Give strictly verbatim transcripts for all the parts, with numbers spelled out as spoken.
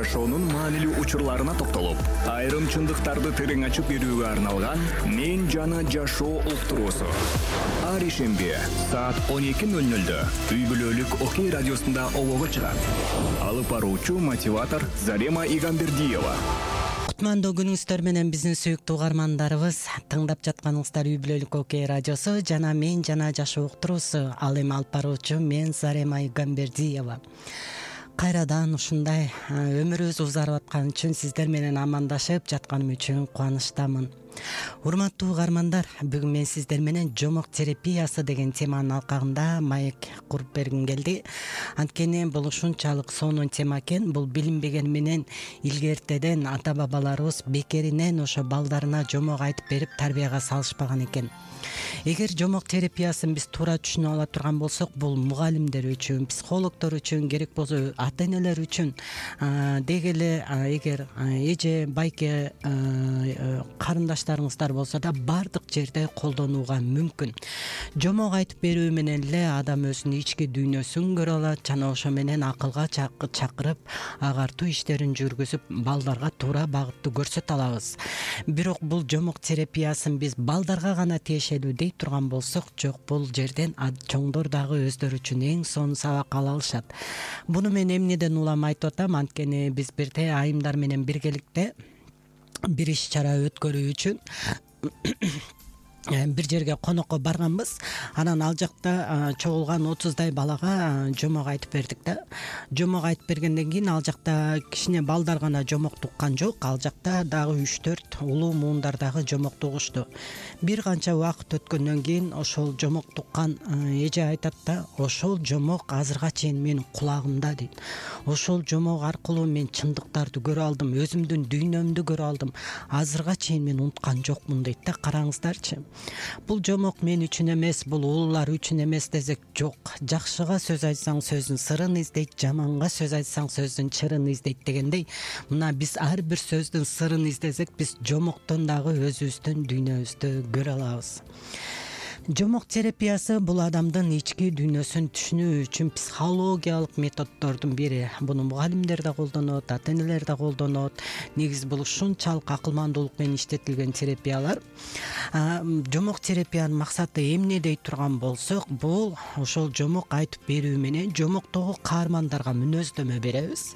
жашоонун маанилүү учурларына токтолуп, айрым чындыктарды терең ачып берүүгө арналган «Мен жана жашоо» уктуруусу. Ар ишемби саат он эки ноль нольдө үй бүлөлүк Окей радиосунда обого чыгат. Алып баруучу мотиватор Зарема Игамбердиева. Кутмандуу күнүңүздөр менен биздин сүйүктүү угармандарыбыз. Тыңдап жатканыңыздар үй бүлөлүк Окей радиосу жана «Мен жана жашоо» уктуруусу. Ал эми алып баруучу мен Зарема Игамбердиева. Кайрадан ушундай өмүрүбүз узарып аткан үчүн, сиздер менен амандашып жатканым үчүн кубанычтамын. Урматтуу угармандар, бүгүн мен сиздер менен жомок терапиясы деген теманын алкагында маек куруп бергим келди. Анткени бул ушунчалык сонун тема экен. Бул билинбеген менен илгертеден ата-бабаларыбыз бекеринен ошо балдарына жомок айтып берип тарбияга салышпаган экен. Эгер жомок терапиясын биз туура түшүнүп ала турган болсок, бул мугалимдер үчүн, психологдор үчүн, керек болсо ата-энелер үчүн, деги эле эгер эже, байке карындаштарыңыздар болсо да бардык жерде колдонууга мүмкүн. Жомок айтып берүү менен эле адам өзүнүн ички дүйнөсүн көрө алат жана ошо менен акылга чакырып, агартуу иштерин жүргүзүп, балдарга туура багытты көрсөтө алабыз. Бирок бул жомок терапиясын биз балдарга гана тиешелүү дей турган болсок, жок, бул жерден чоңдор дагы өздөрү үчүн эң сонун сабак ала алышат. Буну мен эмнеден улам айтып атам? Анткени биз бирде айымдар менен биргеликте бир иш чара өткөрүү үчүн бир жерге конокко барганбыз. Анан ал жакта чогулган отуздай балага жомок айтып бердик да. Жомок айтып бергенден кийин ал жакта кичине балдар гана жомок туккан жок. Ал жакта дагы үч төрт улуу муундар дагы жомок тугушту. Бир канча убакыт өткөндөн кийин ошол жомок туккан эже айтат да, ошол жомок азырга чейин менин кулагымда дейт. Ошол жомок аркылуу мен чындыктарды көрө алдым, өзүмдүн дүйнөмдү көрө алдым. Азырга чейин мен унуткан жокмун дейт да. Караңыздарчы. Бул жомок мен үчүн эмес, бул улуулар үчүн эмес десек жок. Жакшыга сөз айтсаң сөздүн сырын издейт, жаманга сөз айтсаң сөздүн чырын издейт дегендей, мына биз ар бир сөздүн сырын издесек, биз жомоктон дагы өзүбүздүн дүйнөбүздү көрө алабыз. Жомок терапиясы бул адамдын ички дүйнөсүн түшүнүү үчүн психологиялык методдордун бири. Буну мугалимдер да колдонот, ата-энелер да колдонот. Негизи бул ушунчалык акылмандуулук менен иштетилген терапиялар. Жомок терапиянын максаты эмне дей турган болсок, бул ошол жомок айтып берүү менен жомоктогу каармандарга мүнөздөмө беребиз.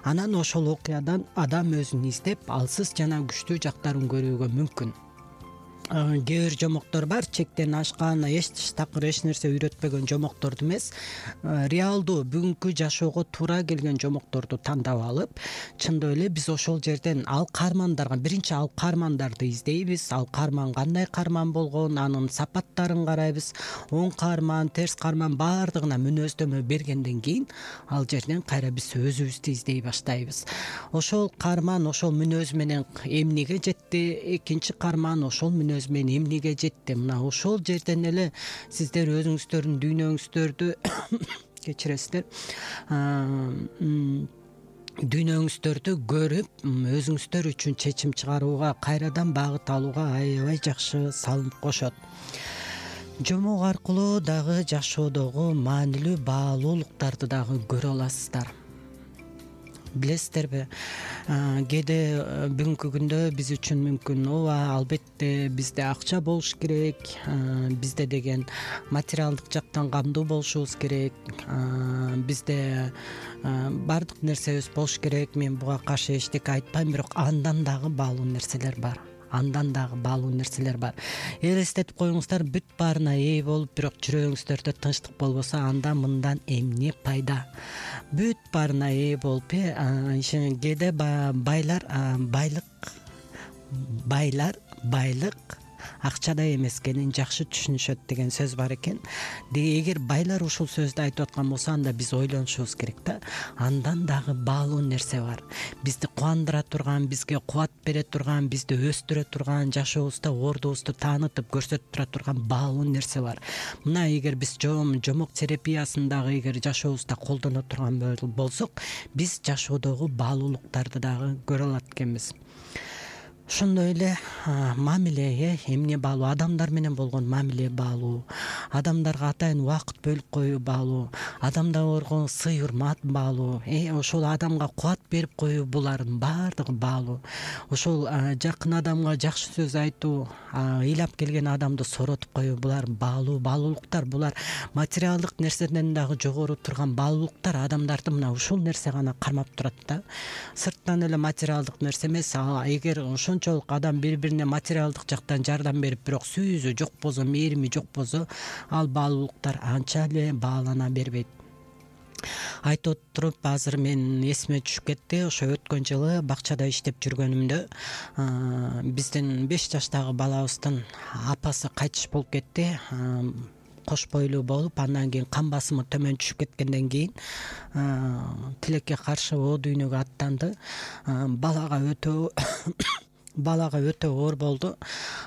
Анан ошол окуядан адам өзүн издеп, алсыз жана күчтүү жактарын көрүүгө мүмкүн. Кээ бир жомоктор бар, чектен ашкан, эч такыр эч нерсе үйрөтпөгөн жомокторду эмес, реалдуу бүгүнкү жашоого туура келген жомокторду тандап алып, чындап эле биз ошол жерден ал каармандарга, биринчи ал каармандарды издейбиз. Ал каарман кандай каарман болгон, анын сапаттарын карайбыз. Оң каарман, терс каарман баардыгына мүнөздөмө бергенден кийин ал жерден кайра биз өзүбүздү издей баштайбыз. Ошол каарман ошол мүнөз менен эмнеге жетти, экинчи каарман ошол мүнөз мен эмнеге жетти. Мына ошол жерден эле сиздер өзүңүздөрдүн дүйнөңүздөрдү кечиресиздер, дүйнөңүздөрдү көрүп, өзүңүздөр үчүн чечим чыгарууга, кайрадан багыт алууга аябай жакшы салым кошот. Жомок аркылуу дагы жашоодогу маанилүү баалуулуктарды дагы көрө аласыздар. Билесиздерби, кээде бүгүнкү күндө биз үчүн мүмкүн, ооба, албетте бизде акча болуш керек, бизде деген материалдык жактан камдуу болушубуз керек, бизде баардык нерсебиз болуш керек. Мен буга каршы эчтеке айтпайм, бирок андан дагы баалуу нерселер бар. Андан дагы баалуу нерселер бар. Элестетип коюңуздар, бүт баарына ээ болуп, бирок жүрөгүңүздөрдө тынчтык болбосо, анда мындан эмне пайда? Бүт баарына ээ болуп, кээде байлар байлык байлар байлык акчада эмес экенин жакшы түшүнүшөт деген сөз бар экен. Эгер байлар ушул сөздү айтып аткан болсо, анда биз ойлонушубуз керек да. Андан дагы баалуу нерсе бар. Бизди кубандыра турган, бизге кубат бере турган, бизди өстүрө турган, жашообузда ордубузду таанытып көрсөтүп тура турган баалуу нерсе бар. Мына эгер биз жомок терапиясын дагы эгер жашообузда колдоно турган болсок, биз жашоодогу баалуулуктарды дагы көрө алат экенбиз. ошондой эле мамиле, э эмне баалуу, адамдар менен болгон мамиле баалуу, адамдарга атайын убакыт бөлүп коюу баалуу, адамдарга сый урмат баалуу, э ошол адамга кубат берип коюу, булардын баардыгы баалуу. Ошол жакын адамга жакшы сөз айтуу, ыйлап келген адамды сооротуп коюу, булар баалуу баалуулуктар. Булар материалдык нерседен дагы жогору турган баалуулуктар. Адамдарды мына ушул нерсе гана кармап турат да. Сырттан эле материалдык нерсе эмес. Эгер ошончолук адам бири-бирине материалдык жактан жардам берип, бирок сүйүүсү жок болсо, мээрими жок болсо, ал баалуулуктар анча эле баалана бербейт. Айтып туруп азыр мен эсиме түшүп кетти. Ошо өткөн жылы бакчада иштеп жүргөнүмдө биздин беш жаштагы балабыздын апасы кайтыш болуп кетти. Кош бойлуу болуп, андан кийин кан басымы төмөн түшүп кеткенден кийин тилекке каршы о дүйнөгө аттанды. Балага өтө балага өтө оор болду.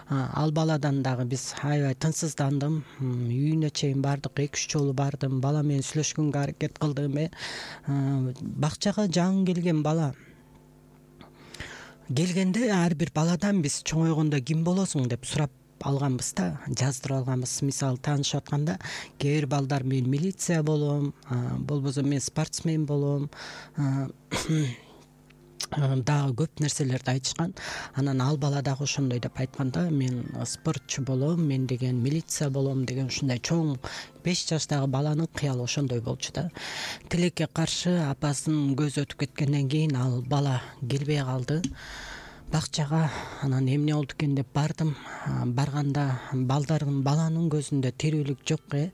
Ал баладан дагы биз аябай тынчсыздандым. Үйүнө чейин бардык, эки үч жолу бардым. Бала менен сүйлөшкөнгө аракет кылдым. Бакчага жаңы келген бала келгенде ар бир баладан биз чоңойгондо ким болосуң деп сурап алганбыз да, жаздырып алганбыз. Мисалы таанышып атканда кээ бир балдар мен милиция болом, болбосо мен спортсмен болом, дагы көп нерселерди айтышкан. Анан ал бала дагы ошондой деп айткан да, мен спортчу болом, мен деген милиция болом деген ушундай чоң беш жаштагы баланын кыялы ошондой болчу да. Тилекке каршы апасынын көзү өтүп кеткенден кийин ал бала келбей калды бакчага. Анан эмне болду экен деп бардым. Барганда балдардын баланын көзүндө тирүүлүк жок. э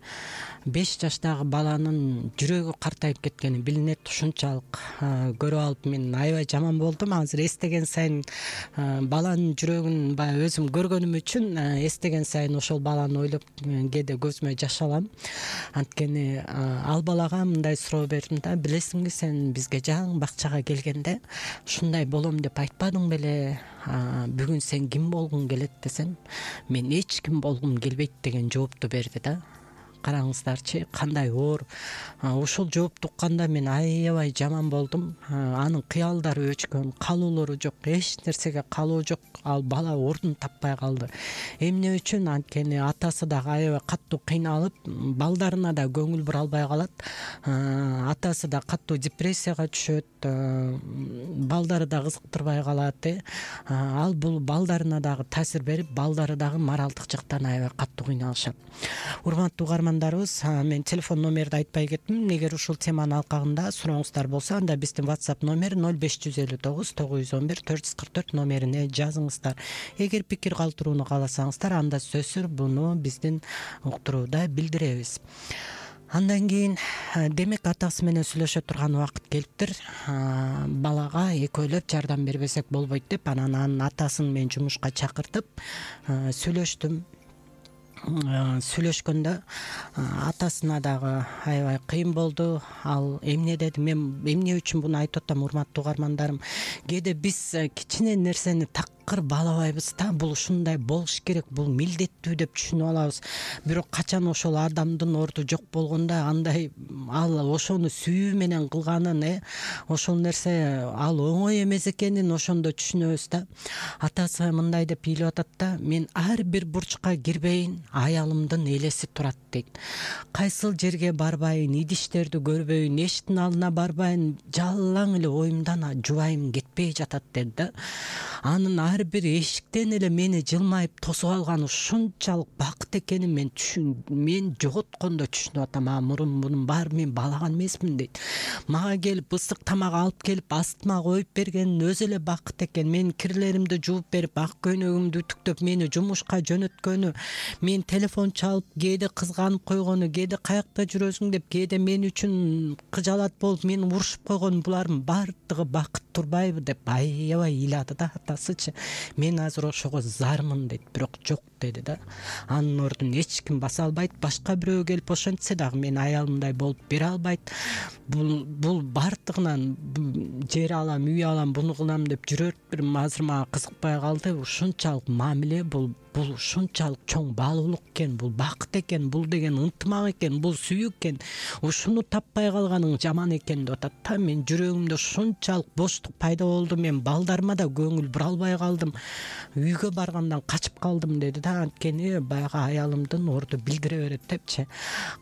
беш жаштагы баланын жүрөгү картайып кеткени билинет. Ушунчалык көрүп алып мен аябай жаман болдум. Азыр эстеген сайын баланын жүрөгүн баягы өзүм көргөнүм үчүн эстеген сайын ошол баланы ойлоп кээде көзүмө жаш алам. Анткени ал балага мындай суроо бердим да: билесиңби, сен бизге жаңы бакчага келгенде ушундай болом деп айтпадың беле? Бүгүн сен ким болгуң келет десем, мен эч ким болгум келбейт деген жоопту берди да. Караңыздарчы, кандай оор. Ошол жоопту укканда мен аябай жаман болдум. Анын кыялдары өчкөн, калоолору жок, эч нерсеге калоо жок. Ал бала ордун таппай калды. Эмне үчүн? Анткени атасы дагы аябай каттуу кыйналып, балдарына да көңүл бура албай калат. Атасы да каттуу депрессияга түшөт, балдары да кызыктырбай калат. э Ал бул балдарына дагы таасир берип, балдары дагы моралдык жактан аябай каттуу кыйналышат. Урматтуу угармандарыбыз, мен телефон номерди айтпай кеттим. Эгер ушул теманын алкагында сурооңуздар болсо, анда биздин WhatsApp номер ноль беш жүз элүү тогуз тогуз жүз он бир төрт жүз кырк төрт номерине жазыңыздар. Эгер пикир калтырууну кааласаңыздар, анда сөзсүз буну биздин уктурууда билдиребиз. Андан кийин демек атасы менен сүйлөшө турган убакыт келиптир. Балага экөөлөп жардам бербесек болбойт деп, анан анын атасын мен жумушка чакыртып сүйлөштүм. Сүйлөшкөндө атасына дагы аябай кыйын болду. Ал эмне деди? Мен эмне үчүн буну айтып атам, урматтуу угармандарым? Кээде биз кичине нерсени такыр баалабайбыз да. Бул ушундай болуш керек, бул милдеттүү деп түшүнүп алабыз. Бирок качан ошол адамдын орду жок болгондо, андай ал ошону сүйүү менен кылганын, э ошол нерсе ал оңой эмес экенин ошондо түшүнөбүз да. Атасы мындай деп ыйлап атат да: мен ар бир бурчка кирбейин, аялымдын элеси турат дейт. Кайсыл жерге барбайын, идиштерди көрбөйүн, эшиктин алдына барбайын, жалаң эле оюмдан жубайым кетпей жатат деди да. Анын ар бир эшиктен эле мени жылмайып тосуп алганы ушунчалык бакыт экенин мен түшүн мен жоготкондо түшүнүп атам. А мурун мунун баары мен баалаган эмесмин дейт. Мага келип ысык тамак алып келип астыма коюп берген өзү эле бакыт экен. Мен кирлеримди жууп берип, ак көйнөгүмдү үтүктөп мени жумушка жөнөткөнү, мен телефон чалып кээде кызганып койгону, кээде каякта жүрөсүң деп, кээде мен үчүн кыжалат болуп мени урушуп койгону, булардын баардыгы бакыт турбайбы деп аябай ыйлады да атасычы. Мен азыр ошого зармын дейт, бирок жок деди да. Анын ордун эч ким баса албайт. Башка бирөө келип ошентсе дагы мен аялымдай болуп бере албайт. Бул бул баардыгынан жер алам, үй алам, буну кылам деп жүрөт бир азыр мага кызыкпай калды. Ушунчалык мамиле бул бул ушунчалык чоң баалуулук экен, бул бакыт экен, бул деген ынтымак экен, бул сүйүү экен, ушуну таппай калганың жаман экен деп атат да. Мен жүрөгүмдө ушунчалык боштук пайда болду, мен балдарыма да көңүл бура албай калдым, үйгө баргандан качып калдым деди да. Анткени баягы аялымдын орду билдире берет депчи.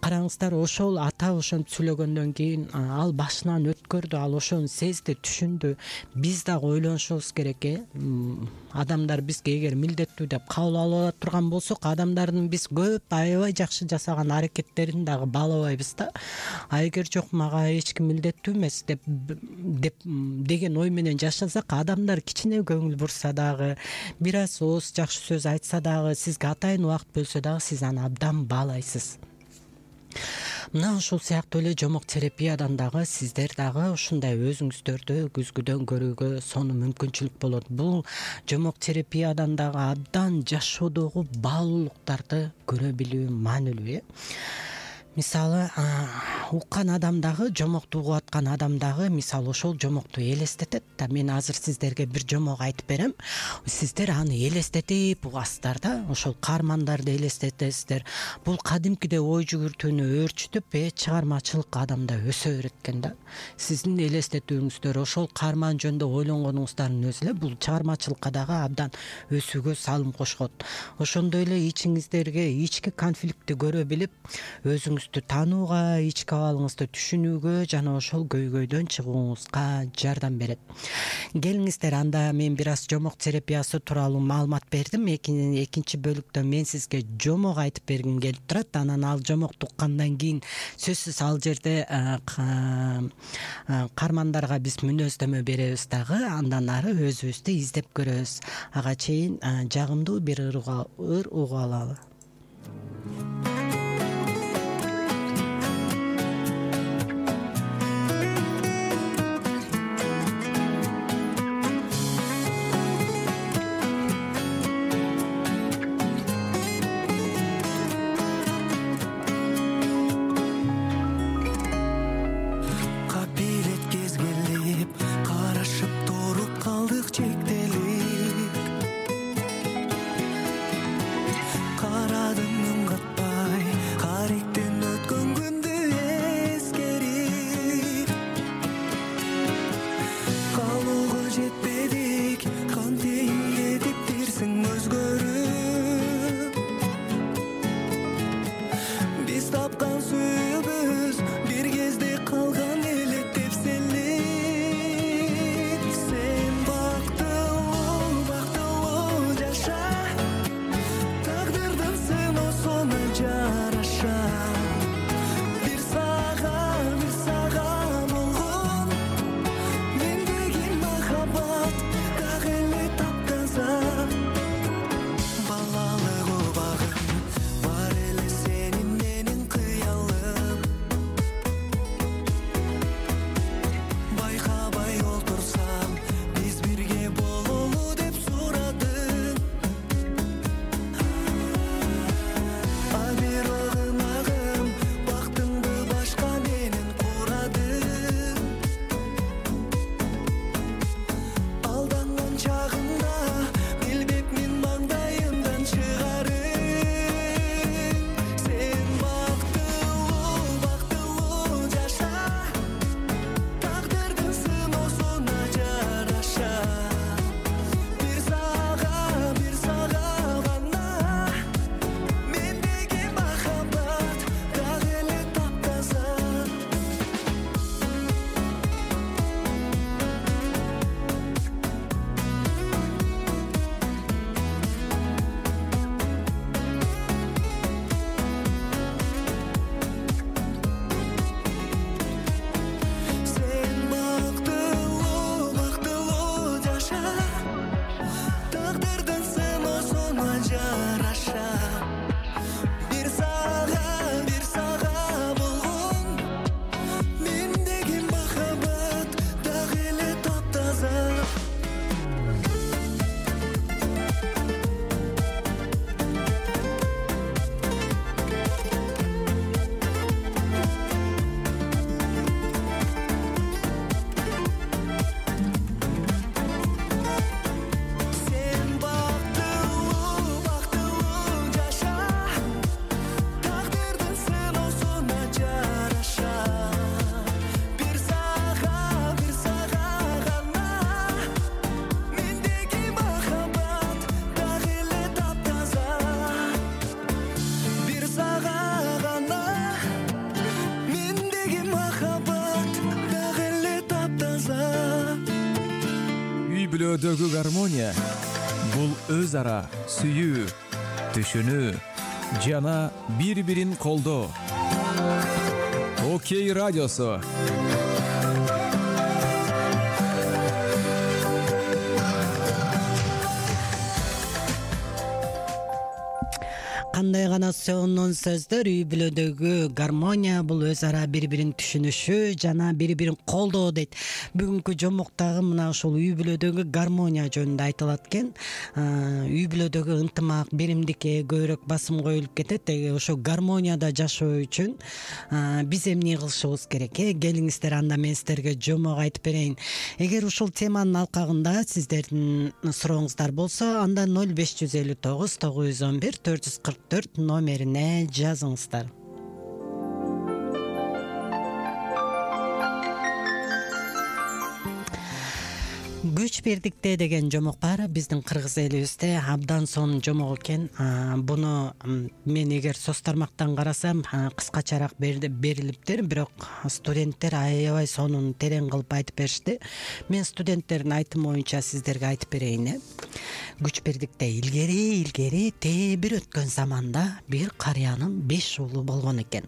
Караңыздар, ошол ата ошентип сүйлөгөндөн кийин ал башынан өткөрдү, ал ошону сезди, түшүндү. Биз дагы ойлонушубуз керек э. Адамдар бизге эгер милдеттүү деп кабыл ала турган болсок, адамдардын биз көп аябай жакшы жасаган аракеттерин дагы баалабайбыз да. А эгер жок, мага эч ким милдеттүү эмес деп деп деген ой менен жашасак, адамдар кичине көңүл бурса дагы, бир аз ооз жакшы сөз айтса дагы, сизге атайын убакыт бөлсө дагы, сиз аны абдан баалайсыз. Мына ушул сыяктуу эле жомок терапиядан дагы сиздер дагы ушундай өзүңүздөрдү күзгүдөн көрүүгө сонун мүмкүнчүлүк болот. Бул жомок терапиядан дагы абдан жашоодогу баалуулуктарды көрө билүү маанилүү э. Мисалы, уккан адам дагы, жомокту угуп аткан адам дагы мисалы ошол жомокту элестетет да. Мен азыр сиздерге бир жомок айтып берем. Сиздер аны элестетип угасыздар да. Ошол каармандарды элестетесиздер. Бул кадимкиде ой жүгүртүүнү өөрчүтүп, э чыгармачылык адамда өсө берет экен да. Сиздин элестетүүңүздөр, ошол каарман жөнүндө ойлонгонуңуздардын өзү эле бул чыгармачылыкка дагы абдан өсүүгө салым кошот. Ошондой эле ичиңиздерге ички конфликтти көрө билип, өзүңүз таанууга, ички абалыңызды түшүнүүгө жана ошол көйгөйдөн чыгууңузга жардам берет. Келиңиздер, анда мен бир аз жомок терапиясы тууралуу маалымат бердим. Экинчи бөлүктө мен сизге жомок айтып бергим келип турат. Анан ал жомокту уккандан кийин сөзсүз ал жерде каармандарга биз мүнөздөмө беребиз дагы. Андан ары өзүбүздү издеп көрөбүз. Ага чейин жагымдуу бир ыр угуп алалы. Кара бүлөдөгү гармония бул өз ара сүйүү, түшүнүү жана бири-бирин колдоо. Окей радиосу. Кандай гана сонун сөздөр. Үй бүлөдөгү гармония бул өз ара бири-бирин түшүнүшү жана бири-бирин колдоо дейт. Бүгүнкү жомуктагы мына ушул үй бүлөдөгү гармония жөнүндө айтылат экен. Үй бүлөдөгү ынтымак, биримдикке көбүрөөк басым коюлуп кетет. Ошо гармонияда жашоо үчүн биз эмне кылышыбыз керек? Э, келиңиздер, анда мен сиздерге жомок айтып берейин. Эгер ушул теманын алкагында сиздердин сурооңуздар болсо, анда ноль беш жүз элүү тогуз тогуз жүз он бир төрт жүз кырк төрт номерине жазыңыздар. Күч бирдикте деген жомок бар биздин кыргыз элибизде, абдан сонун жомок экен. Буну мен эгер соц тармактан карасам кыскачараак берилиптир, бирок студенттер аябай сонун терең кылып айтып беришти. Мен студенттердин айтымы боюнча сиздерге айтып берейин. Күч бирдикте илгери илгери тээ бир өткөн заманда бир карыянын беш уулу болгон экен.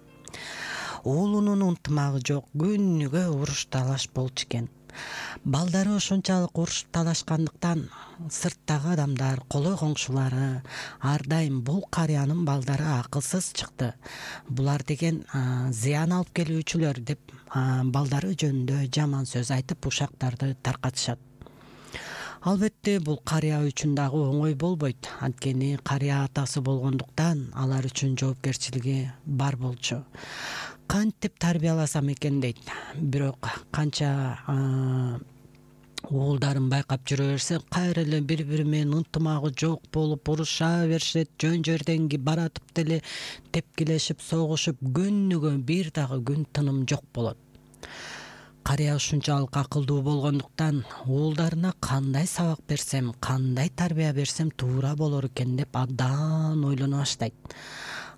Уулунун ынтымагы жок, күнүгө уруш талаш болчу экен. Балдары ошончалык урушуп талашкандыктан сырттагы адамдар, колой коңшулары ар дайым бул карыянын балдары акылсыз чыкты, булар деген зыян алып келүүчүлөр деп балдары жөнүндө жаман сөз айтып ушактарды таркатышат. Албетте бул карыя үчүн дагы оңой болбойт. Анткени карыя атасы болгондуктан алар үчүн жоопкерчилиги бар болчу. Кантип тарбияласам экен дейт. Бирок канча уулдарын байкап жүрө берсе, кайра эле бири-бири менен ынтымагы жок болуп уруша беришет, жөн жерден баратып деле тепкилешип, согушуп, күнүгө бир дагы күн тыным жок болот. Карыя ушунчалык акылдуу болгондуктан уулдарына кандай сабак берсем, кандай тарбия берсем туура болор экен деп абдан ойлоно баштайт.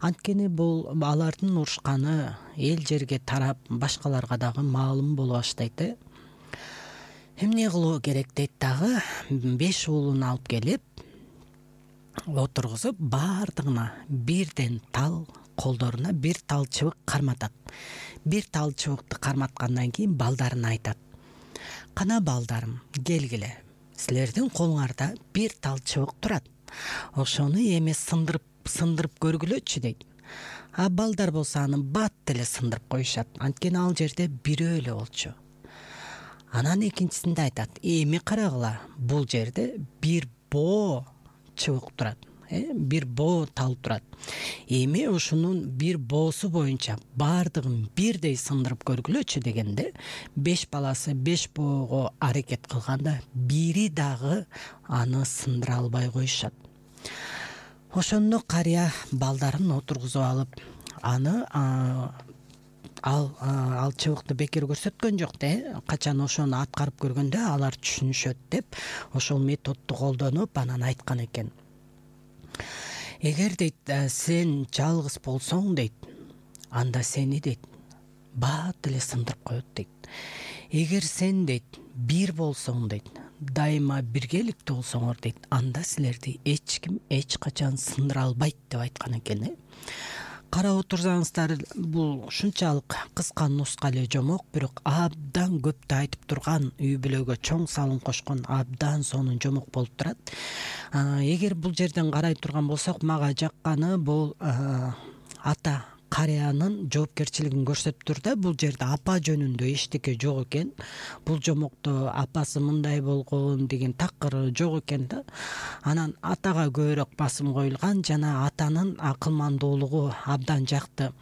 Анткени бул алардын урушканы эл жерге тарап, башкаларга дагы маалым боло баштайт. Эмне кылуу керек дейт дагы, беш уулун алып келип отургузуп, баардыгына бирден тал, колдоруна бир тал чыбык карматат. Бир тал чыбыкты карматкандан кийин балдарына айтат: "Кана балдарым, келгиле. Силердин колуңарда бир тал чыбык турат. Ошону эми сындырып сындырып көргүлөчү" дейт. А балдар болсо аны бат деле сындырып коюшат. Анткени ал жерде бирөө эле болчу. Анан экинчисинде айтат: "Эми карагыла, бул жерде бир боо чыбык турат. Бир боо тал турат. Эми ушунун бир боосу боюнча баардыгын бирдей сындырып көргүлөчү" дегенде, беш баласы беш боого аракет кылганда бири дагы аны сындыра албай коюшат. Ошондо карыя балдарын отургузуп алып, аны ал ал чыбыкты бекер көрсөткөн жок да. Качан ошону аткарып көргөндө алар түшүнүшөт деп ошол методду колдонуп анан айткан экен. Эгер дейт сен жалгыз болсоң дейт, анда сени дейт баат эле сындырып коет дейт. Эгер сен дейт бир болсоң дейт, дайыма биргеликтүү болсоңор дейт, анда силерди эч ким эч качан сындыра албайт деп айткан экен. Карап отурсаңыздар, бул ушунчалык кыска нуска эле жомок, бирок абдан көптү айтып турган, үй бүлөгө чоң салым кошкон абдан сонун жомок болуп турат. Эгер бул жерден карай турган болсок, мага жакканы бул ата карыянын жоопкерчилигин көрсөтүп тур да. Бул жерде апа жөнүндө эчтеке жок экен. Бул жомокто апасы мындай болгон деген такыр жок экен да. Анан атага көбүрөөк басым коюлган, жана атанын акылмандуулугу абдан жакты.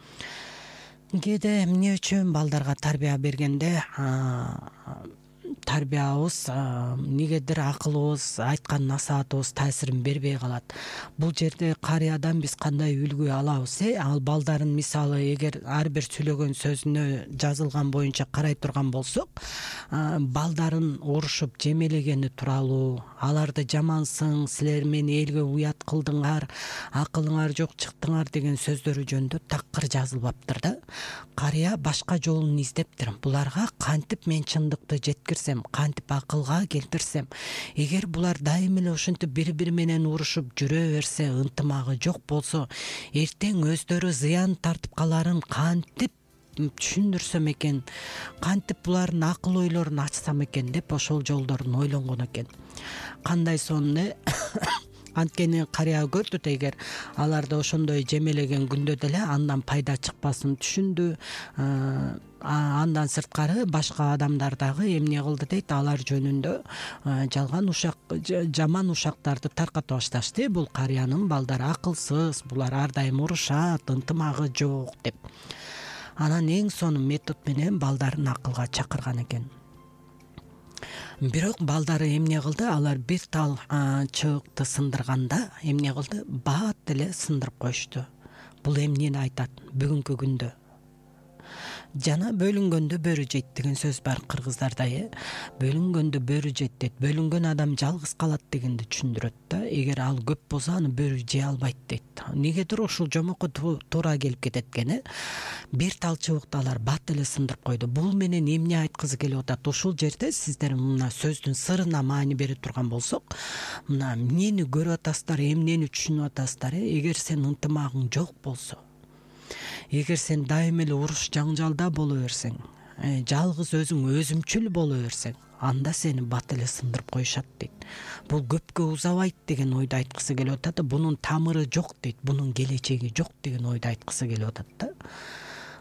Кээде эмне үчүн балдарга тарбия бергенде тарбиябыз, негедир акылыбыз, айткан насаатыбыз таасирин бербей калат. Бул жерде карыядан биз кандай үлгү алабыз? Э, ал балдарын мисалы эгер ар бир сүйлөгөн сөзүнө жазылган боюнча карай турган болсок, балдарын урушуп жемелегени тууралуу, аларды жамансың, силер мени элге уят кылдыңар, акылыңар жок чыктыңар деген сөздөрү жөнүндө такыр жазылбаптыр да. Карыя башка жолун издептир. Буларга кантип мен чындыкты жеткирсем, келтирсем, кантип акылга келтирсем, эгер булар дайым эле ушинтип бири бири менен урушуп жүрө берсе, ынтымагы жок болсо, эртең өздөрү зыян тартып каларын кантип түшүндүрсөм экен, кантип булардын акыл ойлорун ачсам экен деп ошол жолдорун ойлонгон экен. Кандай сонун анткени карыя көрдү да, эгер аларды ошондой жемелеген күндө деле андан пайда чыкпасын түшүндү. Андан сырткары башка адамдар дагы эмне кылды дейт, алар жөнүндө жалган ушак, жаман ушактарды тарката башташты. Бул карыянын балдары акылсыз, булар ар дайым урушат, ынтымагы жок деп. Анан эң сонун метод менен балдарын акылга чакырган экен. Бирок балдары эмне кылды? Алар бир тал чыбыкты сындырганда эмне кылды? Баат эле сындырып коюшту. Бул эмнени айтат бүгүнкү күндө? Жана бөлүнгөндө бөрү жейт деген сөз бар кыргыздарда, э. Бөлүнгөндө бөрү жейт дейт. Бөлүнгөн адам жалгыз калат дегенди түшүндүрөт да. Эгер ал көп болсо, аны бөрү жей албайт дейт. Негедир ушул жомокко туура келип кетет экен, э. Бир тал чыбыкты алар бат эле сындырып койду. Бул менен эмне айткызы келип атат? Ушул жерде сиздер мына сөздүн сырына маани бере турган болсок, мына эмнени көрүп атасыздар, эмнени түшүнүп атасыздар, э. Эгер сен ынтымагың жок болсо, эгер сен дайым эле уруш жаңжалда боло берсең, жалгыз өзүң өзүмчүл боло берсең, анда сени бат эле сындырып коюшат дейт. Бул көпкө узабайт деген ойду айткысы келип атат. Бунун тамыры жок дейт, бунун келечеги жок деген ойду айткысы келип атат да.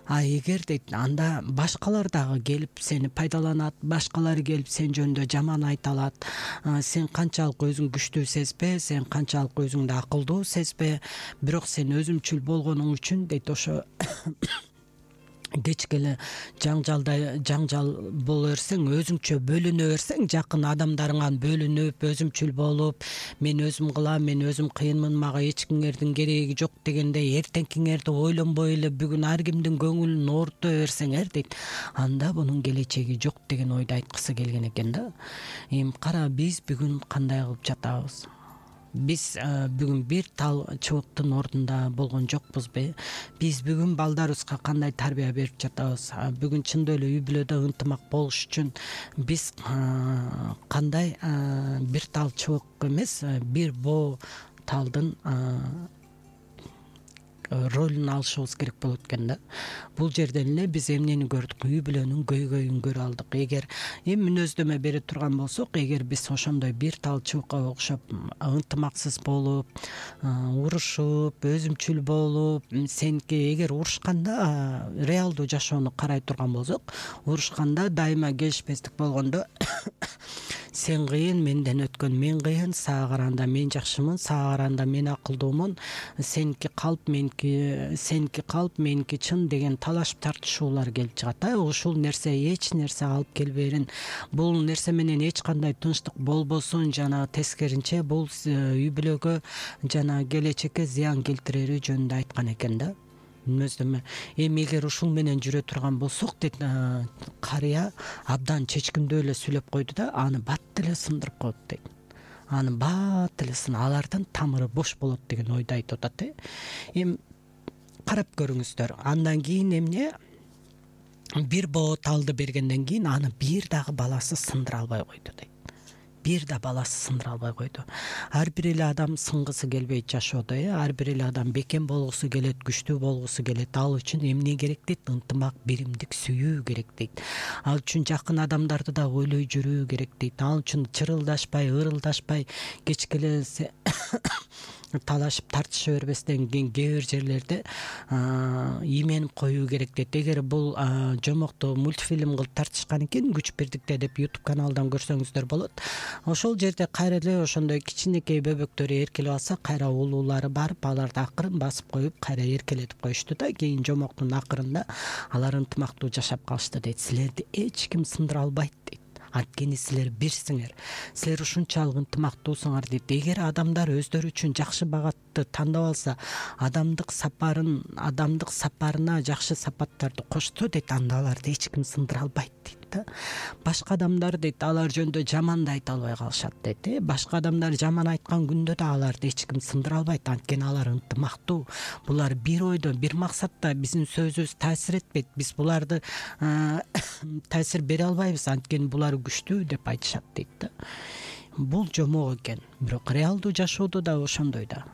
А эгер дейт, анда башкалар дагы келип сени пайдаланат, башкалар келип сен жөнүндө жаман айта алат. Сен канчалык өзүң күчтүү сезбе, сен канчалык өзүңдү акылдуу сезбе, бирок сен өзүмчүл болгонуң үчүн дейт, ошо кечке эле жаңжалда жаңжал боло берсең, өзүңчө бөлүнө берсең, жакын адамдарыңан бөлүнүп, өзүмчүл болуп, мен өзүм кылам, мен өзүм кыйынмын, мага эч кимдин кереги жок дегендей эртеңкиңерди ойлонбой эле бүгүн ар кимдин көңүлүн оорута берсеңер дейт, анда бунун келечеги жок деген ойду айткысы келген экен да. Эми кара, биз бүгүн кандай кылып жатабыз? Биз бүгүн бир тал чыбыктын ордунда болгон жокпузбу? Биз бүгүн балдарыбызга кандай тарбия берип жатабыз? Бүгүн чындап эле үй бүлөдө ынтымак болуш үчүн биз кандай бир тал чыбык эмес, бир боо талдын ролун алышыбыз керек болот экен да. Бул жерден эле биз эмнени көрдүк? Үй бүлөнүн көйгөйүн көрө алдык. Эгер эми мүнөздөмө бере турган болсок, эгер биз ошондой бир тал чыбыкка окшоп ынтымаксыз болуп, урушуп, өзүмчүл болуп, сеники эгер урушканда реалдуу жашоону карай турган болсок, урушканда дайыма келишпестик болгондо сен кыйын, менден өткөн мен кыйын, сага караганда мен жакшымын, сага караганда мен акылдуумун, сеники калп, меники сеники калп, меники чын деген талашып тартышуулар келип чыгат. Ушул нерсе эч нерсе алып келберин. Бул нерсе менен эч кандай тынчтык болбосун, жана тескеринче бул үй бүлөгө жана келечекке зыян келтирери жөнүндө айткан экен да. Мүнөздөмө. Эми эгер ушул менен жүрө турган болсок, дейт, карыя абдан чечкиндүү эле сүйлөп койду да, аны бат эле сындырып коет дейт. Аны бат эле сын, алардын тамыры бош болот деген ойду айтып атат, э. Эми карап көрүңүздөр. Андан кийин эмне? Бир боо талды бергенден кийин аны бир дагы баласы сындыра албай койду дейт. Бир да баласы сындыра албай койду. Ар бир эле адам сынгысы келбейт жашоодо, э. Ар бир эле адам бекем болгусу келет, күчтүү болгусу келет. Ал үчүн эмне керек дейт? Ынтымак, биримдик, сүйүү керек дейт. Ал үчүн жакын адамдарды да ойлой жүрүү керек дейт. Ал үчүн чырылдашпай, ырылдашпай, кечке эле талашып тартыша бербестен кээ бир жерлерде ийменип коюу керек дейт. Эгер бул жомокту мультфильм кылып тартышкан экен, Күч Бирдикте деп YouTube каналдан көрсөңүздөр болот. Ошол жерде кайра эле ошондой кичинекей бөбөктөрү эркелеп алса, кайра улуулары барып, аларды акырын басып коюп, кайра эркелетип коюшту да. Кийин жомоктун акырында алар ынтымактуу жашап калышты дейт. Силерди эч ким сындыра албайт дейт. Анткени силер бирсиңер. Силер ушунчалык ынтымактуусуңар дейт. Эгер адамдар өздөрү үчүн жакшы багатты сапатты тандап алса, адамдык сапарын адамдык сапарына жакшы сапаттарды кошсо дейт, анда аларды эч ким сындыра албайт дейт да. Башка адамдар дейт, алар жөнүндө жаман да айта албай калышат дейт. Э башка адамдар жаман айткан күндө да аларды эч ким сындыра албайт, анткени алар ынтымактуу. Булар бир ойдо, бир максатта. Биздин сөзүбүз таасир этпейт. Биз буларды таасир бере албайбыз, анткени булар күчтүү деп айтышат дейт да. Бул жомок экен, бирок реалдуу жашоодо да ошондой да.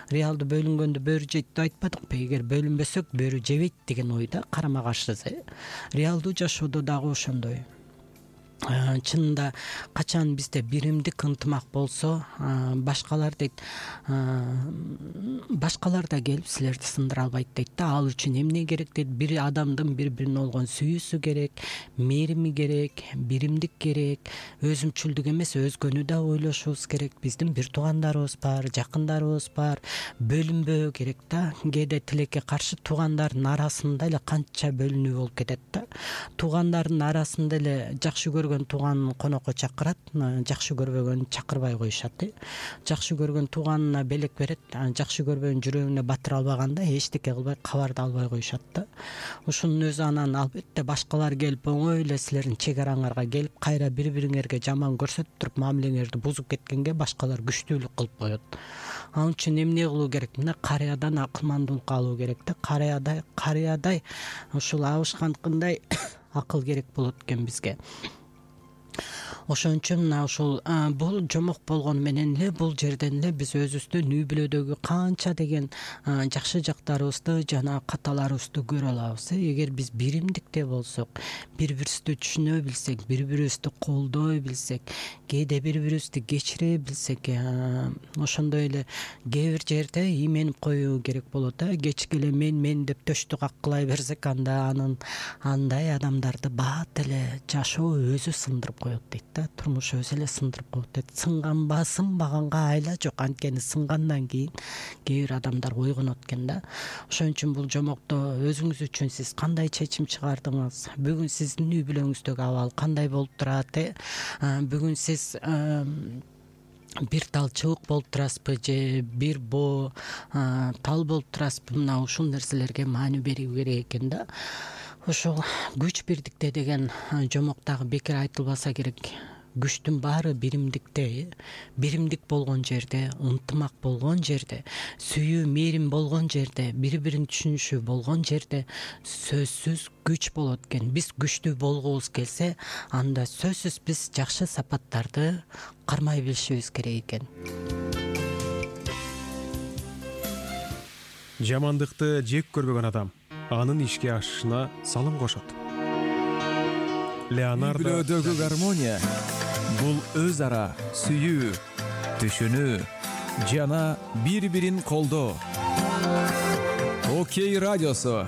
Реалдуу бөлүнгөндө бөрү жейт деп айтпадыкпы? Эгер бөлүнбөсөк бөрү жебейт деген ойда карама каршысыз. Реалдуу жашоодо дагы ошондой. Чынында качан бизде биримдик ынтымак болсо, башкалар дейт, башкалар да келип силерди сындыра албайт дейт да. Ал үчүн эмне керек дейт? Бир адамдын бири бирине болгон сүйүүсү керек, мээрими керек, биримдик керек, өзүмчүлдүк эмес, өзгөнү да ойлошубуз керек. Биздин бир туугандарыбыз бар, жакындарыбыз бар, бөлүнбөө керек да. Кээде тилекке каршы туугандардын арасында эле канча бөлүнүү болуп кетет да. Туугандардын арасында эле жакшы көргөн тууганын конокко чакырат, жакшы көрбөгөн чакырбай коюшат. Жакшы көргөн тууганына белек берет, жакшы көрбөгөн жүрөгүнө батыра албаганда эчтеке кылбай, кабар да албай коюшат да. Ушунун өзү анан албетте башкалар келип оңой эле силердин чек араңарга келип кайра бири-бириңерге жаман көрсөтүп туруп мамилеңерди бузуп кеткенге башкалар күчтүүлүк кылып коет. Ал үчүн эмне кылуу керек? Мына карыядан акылмандуулукка алуу керек да. Карыядай, карыядай ушул абышканткындай акыл керек болот экен бизге. Ошон үчүн мына ушул бул жомок болгону менен эле бул жерден эле биз өзүбүздүн үй бүлөдөгү канча деген жакшы жактарыбызды жана каталарыбызды көрө алабыз. Эгер биз биримдикте болсок, бири-бирибизди түшүнө билсек, бири-бирибизди колдой билсек, кээде бири-бирибизди кечире билсек, ошондой эле кээ бир жерде ийменип коюу керек болот да. Кечке эле мен мен деп төштү каккылай берсек, анда анын андай адамдарды бат эле жашоо өзү сындырып коет дейт да. Турмуш өзү эле сындырып коет дейт. Сынганба, сынбаганга айла жок, анткени сынгандан кийин кээ бир адамдар ойгонот экен да. Ошон үчүн бул жомокто өзүңүз үчүн сиз кандай чечим чыгардыңыз? Бүгүн сиздин үй бүлөңүздөгү абал кандай болуп турат? Бүгүн сиз бир тал чыбык болуп турасызбы же бир боо тал болуп турасызбы? Мына ушул нерселерге маани берүү керек экен да. Ошол күч бирдикте деген жомок дагы бекер айтылбаса керек. Күчтүн баары биримдикте, биримдик болгон жерде, ынтымак болгон жерде, сүйүү, мээрим болгон жерде, бири-бирин түшүнүшү болгон жерде сөзсүз күч болот экен. Биз күчтүү болгубуз келсе, анда сөзсүз биз жакшы сапаттарды кармай билишибиз керек экен. Жамандыкты жек көрбөгөн адам анын ишке ашышына салым кошот. Леонардо. Үй бүлөдөгү гармония бул өз ара сүйүү, түшүнүү жана бири-бирин колдоо. Окей радиосу.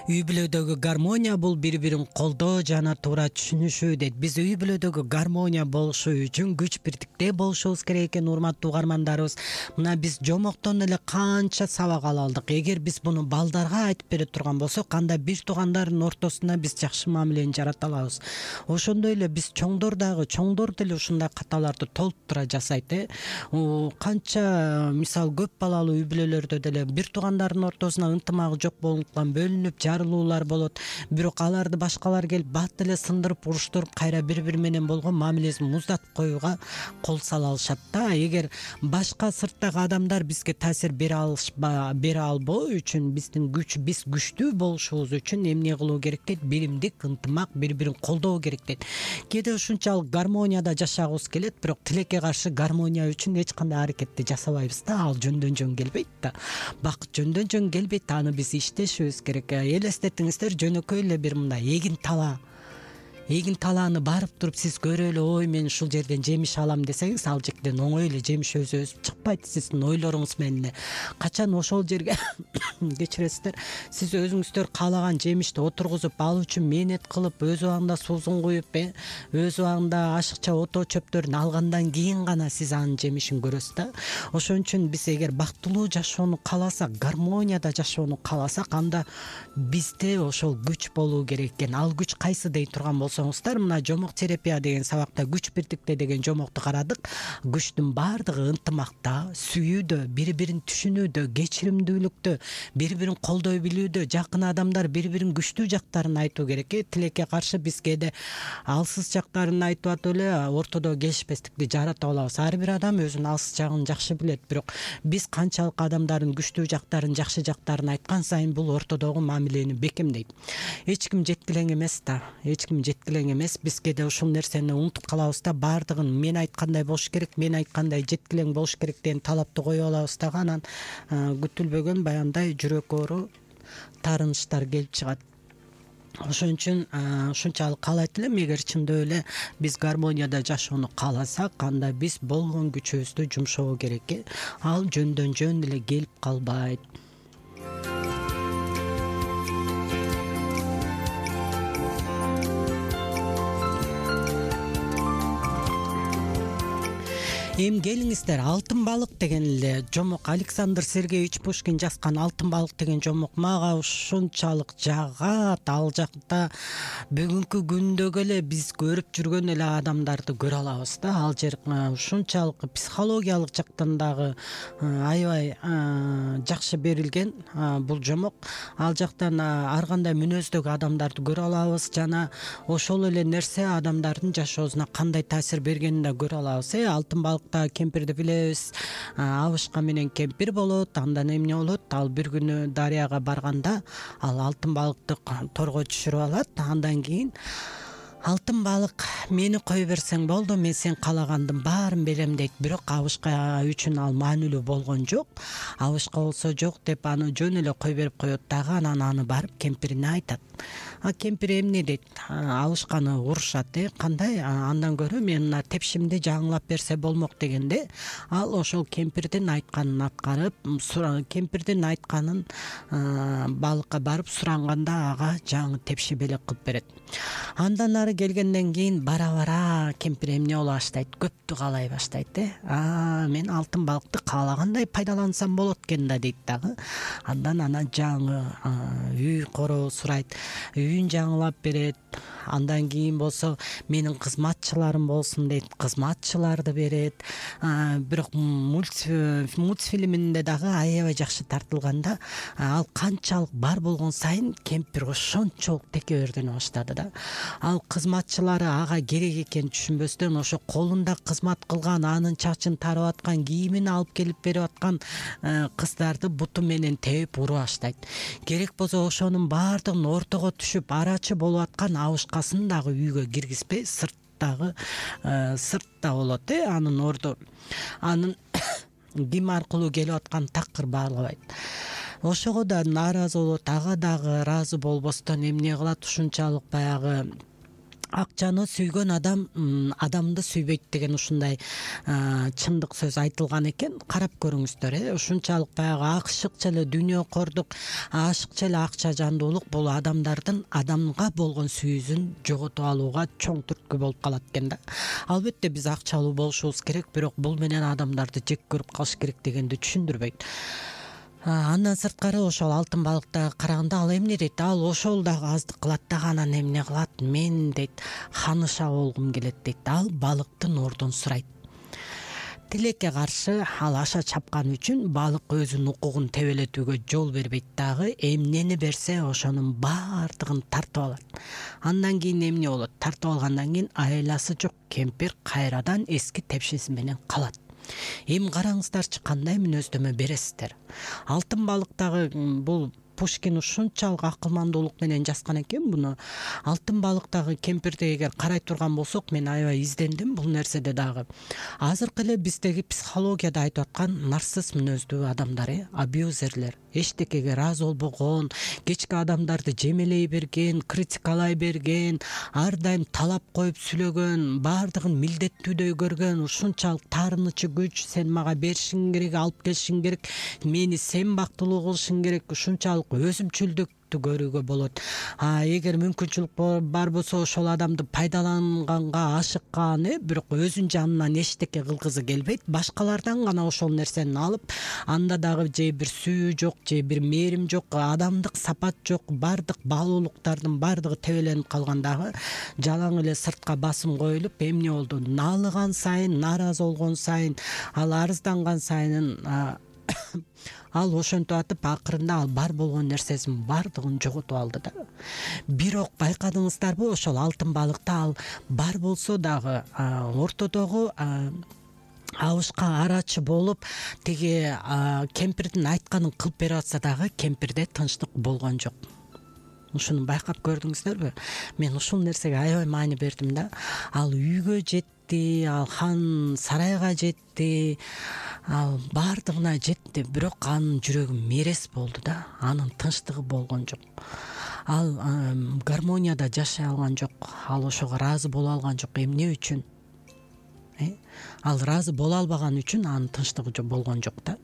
Үй бүлөдөгү гармония бул бири-бирин колдоо жана туура түшүнүшүү дейт. Биз үй бүлөдөгү гармония болушу үчүн күч бирдикте болушубуз керек экен, урматтуу угармандарыбыз. Мына биз жомоктон эле канча сабак ала алдык. Эгер биз буну балдарга айтып бере турган болсок, анда бир туугандардын ортосунда биз жакшы мамилени жарата алабыз. Ошондой эле биз чоңдор дагы, чоңдор деле ушундай каталарды толтура жасайт. Э канча мисал көп балалуу үй бүлөлөрдө деле бир туугандардын ортосуна ынтымагы жок болгондуктан бөлүнүп жарылуулар болот. Бирок аларды башкалар келип бат эле сындырып, уруштуруп, кайра бири-бири менен болгон мамилесин муздатып коюуга кол сала алышат да. Эгер башка сырттагы адамдар бизге таасир бере алышпа, бере албоо үчүн, биздин күч, биз күчтүү болушубуз үчүн эмне кылуу керек дейт? Биримдик, ынтымак, бири-бирин колдоо керек дейт. Кээде ушунчалык гармонияда жашагыбыз келет, бирок тилекке каршы гармония үчүн эч кандай аракетти жасабайбыз да. Ал жөндөн жөн келбейт да. Бакыт жөндөн жөн келбейт, аны биз иштешибиз керек. Элестетиңиздер, жөнөкөй эле бир мындай эгин тала эгин талааны барып туруп сиз көрө эле, ой мен ушул жерден жемиш алам десеңиз, ал жерден оңой эле жемиш өзү өсүп чыкпайт. Сиздин ойлоруңуз менен качан ошол жерге кечиресиздер, сиз өзүңүздөр каалаган жемишти отургузуп, ал үчүн мээнет кылып, өз убагында суусун куюп, өз убагында ашыкча ото чөптөрүн алгандан кийин гана сиз анын жемишин көрөсүз да. Ошон үчүн биз эгер бактылуу жашоону кааласак, гармонияда жашоону кааласак, анда бизде ошол күч болуу керек экен. Ал күч кайсы дей турган болсоңуздар, мына жомок терапия деген сабакта күч бирдикте деген жомокту карадык. Күчтүн баардыгы ынтымакта, сүйүүдө, бири-бирин түшүнүүдө, кечиримдүүлүктө, бири-бирин колдой билүүдө, жакын адамдар бири-бирин күчтүү жактарын айтуу керек. Тилекке каршы биз кээде алсыз жактарын айтып атып эле ортодо келишпестикти жаратып алабыз. Ар бир адам өзүнүн алсыз жагын жакшы билет, бирок биз канчалык адамдардын күчтүү жактарын, жакшы жактарын айткан сайын бул ортодогу мамилени бекемдейт. Эч ким жеткилең эмес да, эч ким жеткилең эмес. Биз кээде ушул нерсени унутуп калабыз да, баардыгын мен айткандай болуш керек, мен айткандай жеткилең болуш керек деген талапты коюп алабыз дагы, анан күтүлбөгөн баягындай жүрөк оору, таарынычтар келип чыгат. Ошон үчүн ушунчалык каалайт элем, эгер чындап эле биз гармонияда жашоону кааласак, анда биз болгон күчүбүздү жумшоо керек. Ал жөндөн жөн эле келип калбайт. Эми келиңиздер, алтын балык деген эле жомок, Александр Сергеевич Пушкин жазган алтын балык деген жомок мага ушунчалык жагат. Ал жакта бүгүнкү күндөгү эле биз көрүп жүргөн эле адамдарды көрө алабыз да. Ал жер ушунчалык психологиялык жактан дагы аябай жакшы берилген бул жомок. Ал жактан ар кандай мүнөздөгү адамдарды көрө алабыз жана ошол эле нерсе адамдардын жашоосуна кандай таасир бергенин да көрө алабыз. Алтын балык кемпирди билебиз. Абышка менен кемпир болот. Андан эмне болот? Ал бир күнү дарыяга барганда ал алтын балыкты торго түшүрүп алат. Андан кийин алтын балык, мени кое берсең болду, мен сен каалагандын баарын берем дейт. Бирок Абышка үчүн ал маанилүү болгон жок. Абышка болсо жок деп аны жөн эле кое берип коет дагы, анан аны барып кемпирине айтат. А кемпир эмне дейт? Абышканы урушат. Кандай? Андан көрө мен мына тепшимди жаңылап берсе болмок дегенде, ал ошол кемпирдин айтканын аткарып, кемпирдин айтканын балыкка барып суранганда ага жаңы тепши белек кылып берет. Андан ары келгенден кийин бара-бара кемпир эмне боло баштайт? Көптү каалай баштайт. А, мен алтын балыкты каалагандай пайдалансам болот экен да дейт дагы. Андан анан жаңы үй короо сурайт. Үйүн жаңылап берет. Андан кийин болсо менин кызматчыларым болсун дейт. Кызматчыларды берет. Бирок мультфильминде дагы аябай жакшы тартылганда, ал канчалык бар болгон сайын кемпир ошончолук текебердене баштады да. Ал кызматчылары ага керек экенин түшүнбөстөн ошо колунда кызмат кылган, анын чачын тарып аткан, кийимин алып келип берип аткан кыздарды буту менен тээп уруп баштайт. Керек болсо ошонун баардыгын ортого түшүп арачы болуп аткан Абышкасын дагы үйгө киргизбей, сырттагы сыртта болот, анын орду. Анын ким аркылуу келип аткан такыр баалабайт. Ошого да нааразы болот, ага дагы ыраазы болбостон эмне кылат? Ушунчалык баягы акчаны сүйгөн адам адамды сүйбөйт деген ушундай чындык сөз айтылган экен. Карап көрүңүздөр, ушунчалык баягы ашыкча эле дүйнөкордук, ашыкча эле акча жандуулук бул адамдардын адамга болгон сүйүүсүн жоготуп алууга чоң түрткү болуп калат экен да. Албетте биз акчалуу болушубуз керек, бирок бул менен адамдарды жек көрүп калыш керек дегенди түшүндүрбөйт. Андан сырткары ошол алтын балыкта караганда ал эмне дейт? Ал ошол дагы аздык кылат дагы, анан эмне кылат? Мен дейт, ханыша болгум келет дейт. Ал балыктын ордун сурайт. Тилекке каршы ал аша чапкан үчүн балык өзүнүн укугун тебелетүүгө жол бербейт дагы, эмнени берсе ошонун баардыгын тартып алат. Андан кийин эмне болот? Тартып алгандан кийин айласы жок кемпир кайрадан эски тепшиси менен калат. Эми караңыздарчы, кандай мүнөздөмө бересиздер? Алтын балыктагы бул Пушкин ушунчалык акылмандуулук менен жазган экен буну. Алтын балыктагы кемпирди эгер карай турган болсок, мен аябай издендим бул нерседе дагы. Азыркы эле биздеги психологияда айтып аткан нарцисс мүнөздүү адамдар, э, абьюзерлер, эчтекеге ыраазы болбогон, кечки адамдарды жемелей берген, критикалай берген, ар дайым талап коюп сүйлөгөн, баардыгын милдеттүүдөй көргөн, ушунчалык таарынычы күч, сен мага беришиң керек, алып келишиң керек, мени сен бактылуу кылышың керек, ушунчалык өзүмчүлдүк көрүүгө болот. А эгер мүмкүнчүлүк бар болсо ошол адамды пайдаланганга ашыккан, э, бирок өзүнүн жанынан эчтеке кылгызы келбейт, башкалардан гана ошол нерсени алып, анда дагы же бир сүйүү жок, же бир мээрим жок, адамдык сапат жок, баардык баалуулуктардын баардыгы тебеленип калгандагы жалаң эле сыртка басым коюлуп, эмне болду? Налыган сайын, нааразы болгон сайын, ал арызданган сайын ал ошентип атып, акырында ал бар болгон нерсесин баардыгын жоготуп алды да. Бирок байкадыңыздарбы, ошол алтын балыкта ал бар болсо дагы ортодогу абышка арачы болуп, тиги кемпирдин айтканын кылып берип атса дагы кемпирде тынчтык болгон жок. Ушуну байкап көрдүңүздөрбү? Мен ушул нерсеге аябай маани бердим да. Ал үйгө жетти, ал хан сарайга жетти, ал баардыгына жетти, бирок анын жүрөгү мерес болду да, анын тынчтыгы болгон жок. Ал гармонияда жашай алган жок, ал ошого ыраазы боло алган жок. Эмне үчүн? Ал ыраазы боло албаган үчүн анын тынчтыгы болгон жок да.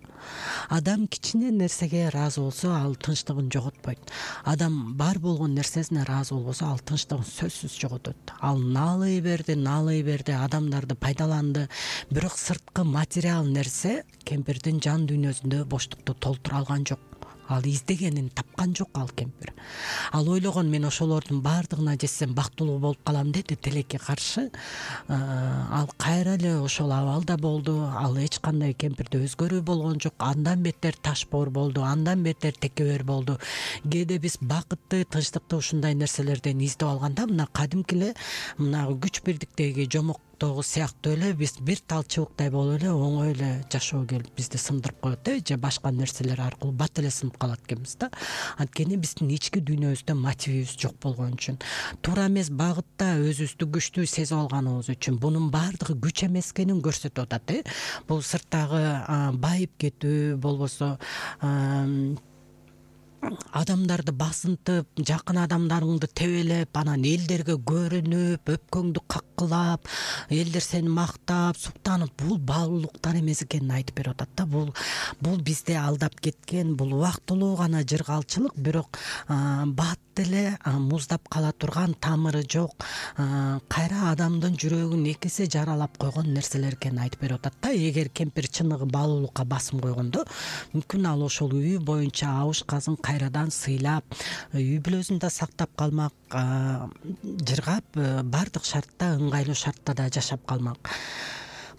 Адам кичине нерсеге ыраазы болсо, ал тынчтыгын жоготпойт. Адам бар болгон нерсесине ыраазы болбосо, ал тынчтыгын сөзсүз жоготот. Ал наалый берди, наалый берди, адамдарды пайдаланды, бирок сырткы материал нерсе кемпирдин жан дүйнөсүндө боштукту толтура алган жок. Ал издегенин тапкан жок ал кемпир. Ал ойлогон, мен ошолордун баардыгына жетсем бактылуу болуп калам деди, тилекке каршы. Ал кайра эле ошол абалда болду. Ал эч кандай кемпирде өзгөрүү болгон жок. Андан бетер ташбоор болду, андан бетер текебер болду. Кээде биз бакытты, тынчтыкты ушундай нерселерден издеп алганда, мына кадимки эле мына күч бирдиктеги жомок сыяктуу эле биз бир тал чыбыктай болуп эле оңой эле жашоо келип бизди сындырып коет, э, же башка нерселер аркылуу бат эле сынып калат экенбиз да. Анткени биздин ички дүйнөбүздө мотивибиз жок болгон үчүн, туура эмес багытта өзүбүздү күчтүү сезип алганыбыз үчүн, бунун баардыгы күч эмес экенин көрсөтүп атат, э. Бул сырттагы байып кетүү болбосо адамдарды басынтып, жакын адамдарыңды тебелеп, анан элдерге көрүнүп, өпкөңдү каккылап, элдер сени мактап, суктанып, бул баалуулуктар эмес экенин айтып берип атат да. Бул бул бизди алдап кеткен, бул убактылуу гана жыргалчылык, бирок бат эле муздап кала турган, тамыры жок, кайра адамдын жүрөгүн эки эсе жаралап койгон нерселер экенин айтып берип атат да. Эгер кемпир чыныгы баалуулукка басым койгондо, мүмкүн ал ошол үй боюнча абышкасын кайрадан сыйлап, үй бүлөсүн да сактап калмак, жыргап, баардык шартта, ыңгайлуу шартта да жашап калмак.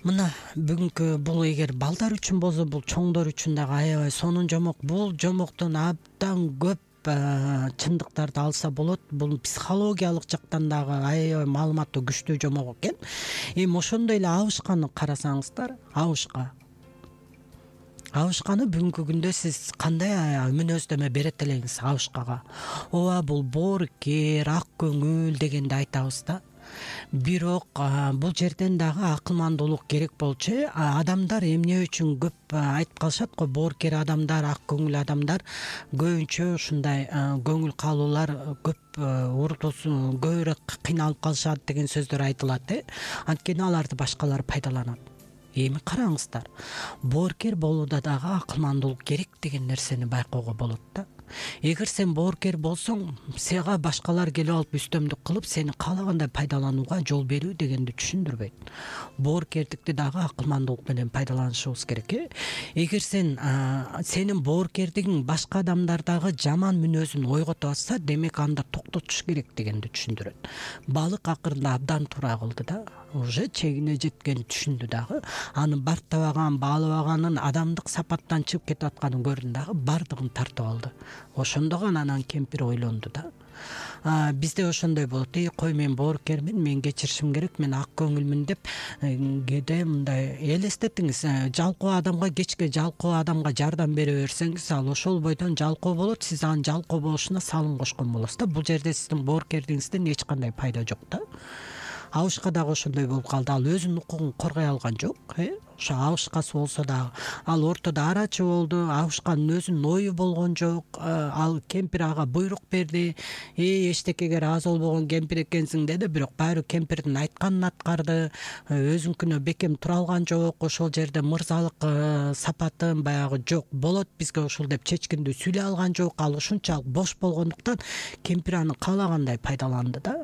Мына бүгүнкү бул эгер балдар үчүн болсо, бул чоңдор үчүн дагы аябай сонун жомок. Бул жомоктон абдан көп чындыктарды алса болот. Бул психологиялык жактан дагы аябай маалыматтуу күчтүү жомок экен. Эми ошондой эле абышканы карасаңыздар, абышка Абышканы бүгүнкү күндө сиз кандай мүнөздөмө берет элеңиз абышкага? Ооба, бул боорукер, ак көңүл дегенди айтабыз да. Бирок бул жерден дагы акылмандуулук керек болчу. Адамдар эмне үчүн көп айтып калышат го, боорукер адамдар, ак көңүл адамдар көбүнчө ушундай көңүл калуулар көп уртусун көбүрөөк кыйналып калышат деген сөздөр айтылат, э. Анткени аларды башкалар пайдаланат. Эми караңыздар, боорукер болууда дагы акылмандуулук керек деген нерсени байкоого болот да. Эгер сен боорукер болсоң, сага башкалар келип алып үстөмдүк кылып, сени каалагандай пайдаланууга жол берүү дегенди түшүндүрбөйт. Боорукердикти дагы акылмандуулук менен пайдаланышыбыз керек, э. Эгер сен сенин боорукердигиң башка адамдардагы жаман мүнөзүн ойготуп атса, демек анда токтотуш керек дегенди түшүндүрөт. Балык акырында абдан туура кылды да. Уже чегине жеткенин түшүндү дагы. Аны бартабаган, баалабаганын, адамдык сапаттан чыгып кетип атканын көрдү дагы, бардыгын тартып алды. Ошондо гана анан кемпир ойлонду да. бизде ошондой болот: эй кой, мен боорукермин, мен кечиришим керек, мен ак көңүлмүн деп кээде мындай элестетиңиз. Жалкоо адамга, кечке жалкоо адамга жардам бере берсеңиз, ал ошол бойдон жалкоо болот, сиз анын жалкоо болушуна салым кошкон болосуз да. Бул жерде сиздин боорукердигиңизден эч кандай пайда жок да. Абышка дагы ошондой болуп калды. Ал өзүнүн укугун коргой алган жок. Ошо абышкасы болсо дагы ал ортодо арачы болду. Абышканын өзүнүн ою болгон жок. Ал кемпир ага буйрук берди: эй эчтекеге ыраазы болбогон кемпир экенсиң деди. Бирок баары кемпирдин айтканын аткарды. Өзүнкүнө бекем тура алган жок. Ошол жерде мырзалык сапатын баягы жок, болот бизге ушул деп чечкиндүү сүйлөй алган жок. Ал ушунчалык бош болгондуктан кемпир аны каалагандай пайдаланды да.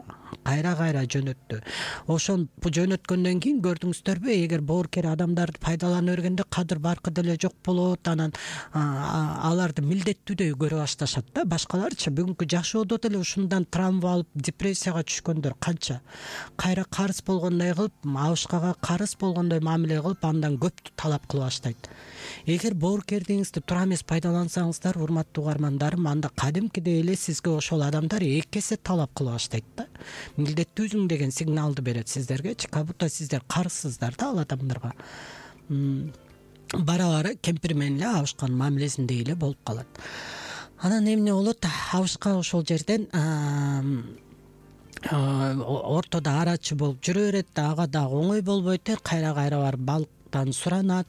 Кайра кайра жөнөттү. Ошон жөнөткөндөн кийин көрдүңүздөрбү, эгер боорукер адамдарды пайдалана бергенде кадыр баркы деле жок болот. Анан аларды милдеттүүдөй көрө башташат да. Башкаларчы бүгүнкү жашоодо деле ушундан травма алып депрессияга түшкөндөр канча. Кайра карыз болгондой кылып, абышкага карыз болгондой мамиле кылып, андан көптү талап кыла баштайт. Эгер боорукердигиңизди туура эмес пайдалансаңыздар, урматтуу угармандарым, анда кадимкидей эле сизге ошол адамдар эки эсе талап кыла баштайт да. Милдеттүүсүң деген сигналды берет сиздергечи. Как будто сиздер карызсыздар да ал адамдарга. Бара бара кемпир менен эле абышканын мамилесиндей эле болуп калат. Анан эмне болот? Абышка ошол жерден ортодо арачы болуп жүрө берет. Ага дагы оңой болбойт. Кайра кайра барып балыктан суранат.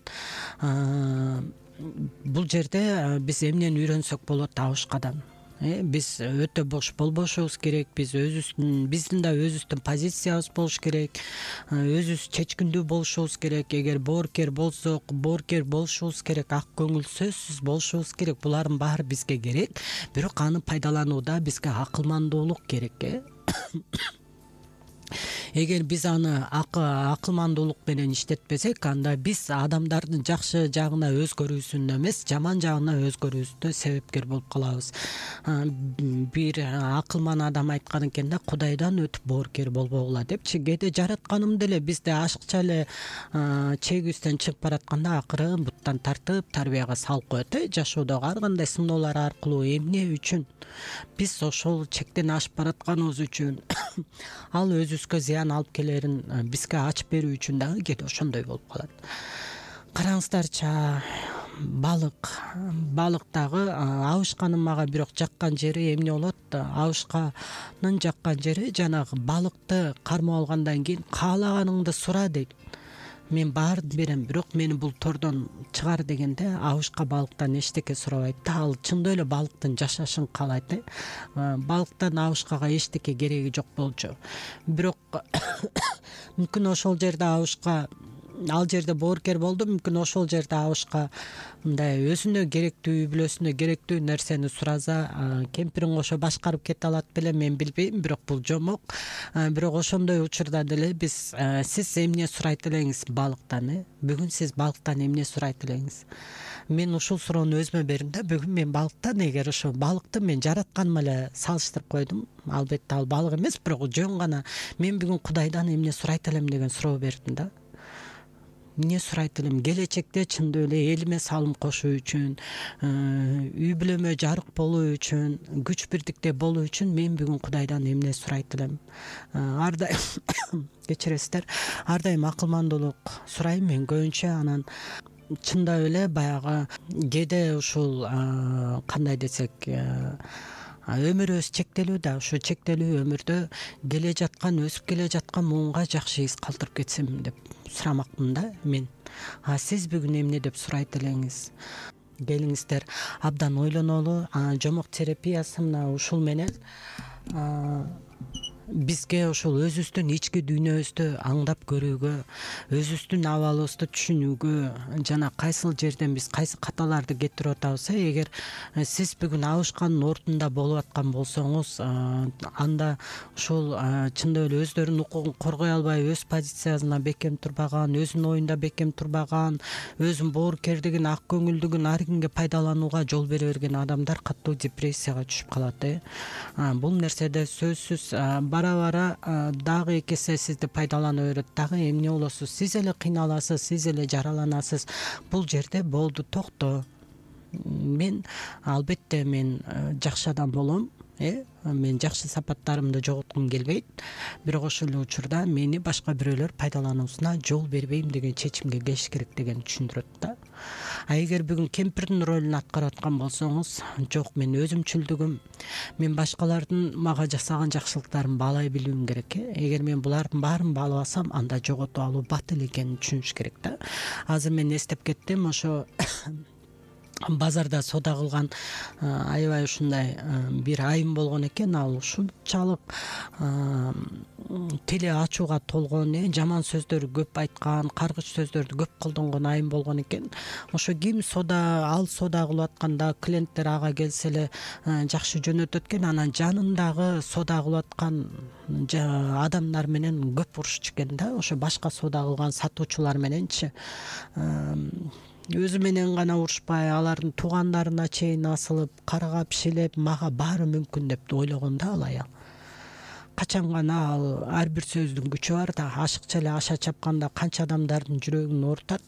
Бул жерде биз эмнени үйрөнсөк болот абышкадан? Биз өтө бош болбошубуз керек. Биз өзүбүздүн биздин да өзүбүздүн позициябыз болуш керек. Өзүбүз чечкиндүү болушубуз керек. Эгер боорукер болсок, боорукер болушубуз керек. Ак көңүл сөзсүз болушубуз керек. Булардын баары бизге керек. Бирок аны пайдаланууда бизге акылмандуулук керек. Эгер биз аны акылмандуулук менен иштетпесек, анда биз адамдардын жакшы жагына өзгөрүүсүнө эмес, жаман жагына өзгөрүүсүнө себепкер болуп калабыз. Бир акылман адам айткан экен да: Кудайдан өтүп боорукер болбогула депчи. Кээде жаратканым деле бизде ашыкча эле чегибизден чыгып баратканда акырын буттан тартып тарбияга салып коет. Жашоодогу ар кандай сыноолор аркылуу эмне үчүн? Биз ошол чектен ашып баратканыбыз үчүн, ал өзүбүзгө зыян алып келерин бизге ачып берүү үчүн дагы кээде ошондой болуп калат. Караңыздарчы, балык балык дагы абышканын мага бирок жаккан жери эмне болот? Абышканын жаккан жери жанагы балыкты кармап алгандан кийин каалаганыңды сура дейт. Мен баарын берем, бирок мени бул тордон чыгар дегенде абышка балыктан эчтеке сурабайт да. Ал чындап эле балыктын жашашын каалайт. Балыктан абышкага эчтеке кереги жок болчу. Бирок мүмкүн ошол жерде абышка ал жерде боорукер болду. Мүмкүн ошол жерде абышка мындай өзүнө керектүү, үй бүлөсүнө керектүү нерсени сураза, кемпирин кошо башкарып кете алат беле, мен билбейм. Бирок бул жомок. Бирок ошондой учурда деле биз сиз эмне сурайт элеңиз балыктан? Бүгүн сиз балыктан эмне сурайт элеңиз? Мен ушул суроону өзүмө бердим да. Бүгүн мен балыктан, эгер ошо балыкты мен жаратканыма эле салыштырып койдум. Албетте ал балык эмес, бирок жөн гана мен бүгүн Кудайдан эмне сурайт элем деген суроо бердим да. Эмне сурайт элем? Келечекте чындап эле элиме салым кошуу үчүн, үй бүлөмө жарык болуу үчүн, күч бирдикте болуу үчүн мен бүгүн Кудайдан эмне сурайт элем? Ар дайым кечиресиздер, ар дайым акылмандуулук сурайм мен көбүнчө. Анан чындап эле баягы кээде ушул кандай десек, өмүрүбүз чектелүү да. Ушу чектелүү өмүрдө келе жаткан, өсүп келе жаткан муунга жакшы из калтырып кетсем деп сурамакмын да мен. А сиз бүгүн эмне деп сурайт элеңиз? Келиңиздер абдан ойлонолу. Жомок терапиясы мына ушул менен бизге ошол өзүбүздүн ички дүйнөбүздү аңдап көрүүгө, өзүбүздүн абалыбызды түшүнүүгө, жана кайсыл жерден биз кайсы каталарды кетирип атабыз. Эгер сиз бүгүн абышканын ортунда болуп аткан болсоңуз, анда ушул чындап эле өздөрүнүн укугун коргой албай, өз позициясына бекем турбаган, өзүнүн оюнда бекем турбаган, өзүнүн боорукердигин, ак көңүлдүгүн ар кимге пайдаланууга жол бере берген адамдар катуу депрессияга түшүп калат. Бул нерседе сөзсүз бара-бара дагы эки эсе сизди пайдалана берет. Дагы эмне болосуз? Сиз эле кыйналасыз, сиз эле жараланасыз. Бул жерде болду, токто. Мен албетте мен жакшы адам болом. э мен жакшы сапаттарымды жоготкум келбейт, бирок ошол эле учурда мени башка бирөөлөр пайдалануусуна жол бербейм деген чечимге келиш керек деген түшүндүрөт да. А эгер бүгүн кемпирдин ролун аткарып аткан болсоңуз, жок, мен өзүмчүлдүгүм, мен башкалардын мага жасаган жакшылыктарын баалай билүүм керек. э Эгер мен булардын баарын баалабасам, анда жоготуп алуу батыл экенин түшүнүш керек да. Азыр мен эстеп кеттим, ошо базарда соода кылган аябай ушундай бир айым болгон экен. Ал ушунчалык тили ачууга толгон, э жаман сөздөр көп айткан, каргыч сөздөрдү көп колдонгон айым болгон экен. Ошо ким соода ал соода кылып атканда клиенттер ага келсе эле жакшы жөнөтөт экен, анан жанындагы соода кылып аткан адамдар менен көп урушчу экен да. Ошо башка соода кылган сатуучулар мененчи өзү менен гана урушпай, алардын туугандарына чейин асылып, каргап, шилеп, мага баары мүмкүн деп ойлогон да ал аял. Качан гана ал ар бир сөздүн күчү бар да, ашыкча эле аша чапканда канча адамдардын жүрөгүн оорутат,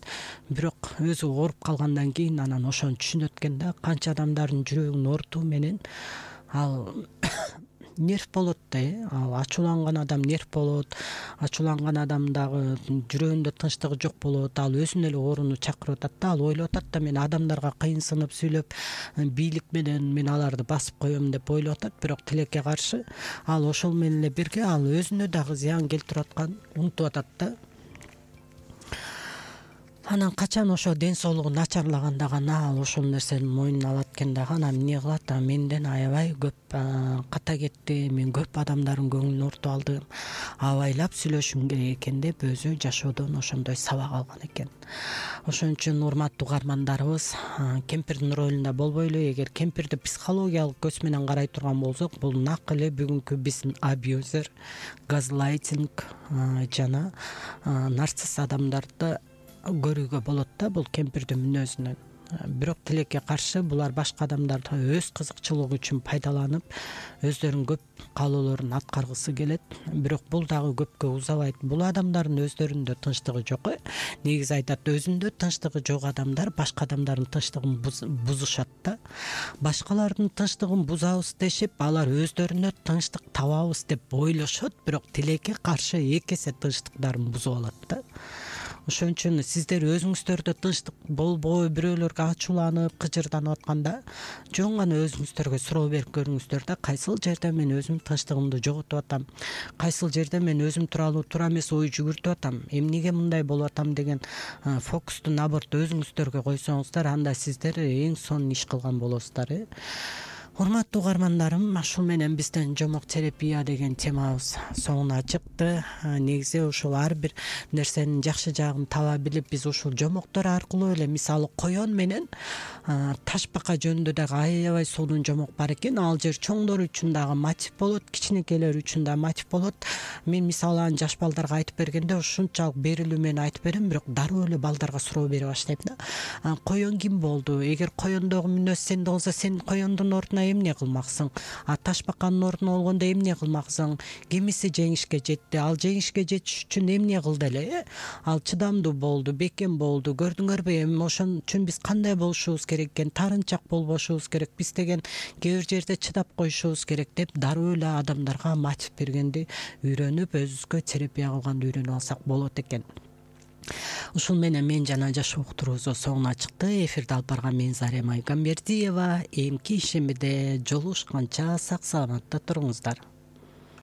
бирок өзү ооруп калгандан кийин анан ошону түшүнөт экен да, канча адамдардын жүрөгүн оорутуу менен ал нерв болот да. э Ал ачууланган адам нерв болот, ачууланган адамдагы жүрөгүндө тынчтыгы жок болот, ал өзүнө эле ооруну чакырып атат да. Ал ойлоп атат да, мен адамдарга кыйынсынып сүйлөп, бийлик менен мен аларды басып коем деп ойлоп атат, бирок тилекке каршы ал ошол менен эле бирге ал өзүнө дагы зыян келтирип атканын унутуп атат да. Анан качан ошо ден соолугу начарлаганда гана ал ошол нерсени мойнуна алат экен дагы. Анан эмне кылат? Менден аябай көп ката кетти, мен көп адамдардын көңүлүн оорутуп алдым, абайлап сүйлөшүм керек экен деп өзү жашоодон ошондой сабак алган экен. Ошон үчүн урматтуу угармандарыбыз, кемпирдин ролунда болбойлу. Эгер кемпирди психологиялык көз менен карай турган болсок, бул нак эле бүгүнкү биздин абьюзер, газлайтинг жана нарцисс адамдарды көрүүгө болот да бул кемпирдин мүнөзүнөн. Бирок тилекке каршы булар башка адамдарды өз кызыкчылыгы үчүн пайдаланып, өздөрүнүн көп каалоолорун аткаргысы келет. Бирок бул дагы көпкө узабайт. Бул адамдардын өздөрүндө тынчтыгы жок. Негизи айтат, өзүндө тынчтыгы жок адамдар башка адамдардын тынчтыгын бузушат да. Башкалардын тынчтыгын бузабыз дешип, алар өздөрүнө тынчтык табабыз деп ойлошот, бирок тилекке каршы эки эсе тынчтыктарын бузуп алат да. Ошон үчүн сиздер өзүңүздөрдө тынчтык болбой, бирөөлөргө ачууланып, кыжырданып атканда, жөн гана өзүңүздөргө суроо берип көрүңүздөр да, кайсыл жерде мен өзүм тынчтыгымды жоготуп атам, кайсыл жерде мен өзүм тууралуу туура эмес ой жүгүртүп атам, эмнеге мындай болуп атам деген фокусту наборду өзүңүздөргө койсоңуздар, анда сиздер эң сонун иш кылган болосуздар. э Урматтуу угармандарым, ушул менен биздин жомок терапия деген темабыз соңуна чыкты. Негизи ушул ар бир нерсенин жакшы жагын таба билип, биз ушул жомоктор аркылуу эле, мисалы коен менен таш бака жөнүндө дагы аябай сонун жомок бар экен. Ал жер чоңдор үчүн дагы мотив болот, кичинекейлер үчүн да мотив болот. Мен мисалы аны жаш балдарга айтып бергенде ушунчалык берилүү менен айтып берем, бирок дароо эле балдарга суроо бере баштайм да. Коен ким болду? Эгер коендогу мүнөз сенде болсо, сен коендун ордуна эмне кылмаксың? А таш баканын ордуна болгондо эмне кылмаксың? Кимиси жеңишке жетти? Ал жеңишке жетиш үчүн эмне кылды эле? Ал чыдамдуу болду, бекем болду. Көрдүңөрбү? Эми ошон үчүн биз кандай болушубуз керек экен? Тарынчак болбошубуз керек. Биз деген кээ бир жерде чыдап коюшубуз керек деп дароо эле адамдарга мотив бергенди үйрөнүп, өзүбүзгө терапия кылганды үйрөнүп алсак болот экен. Ушул менен мен жана жашоо уктуруубуз соңуна чыкты. Эфирди алып барган мен Зарема Айгамбердиева. Эмки ишембиде жолугушканча сак саламатта туруңуздар.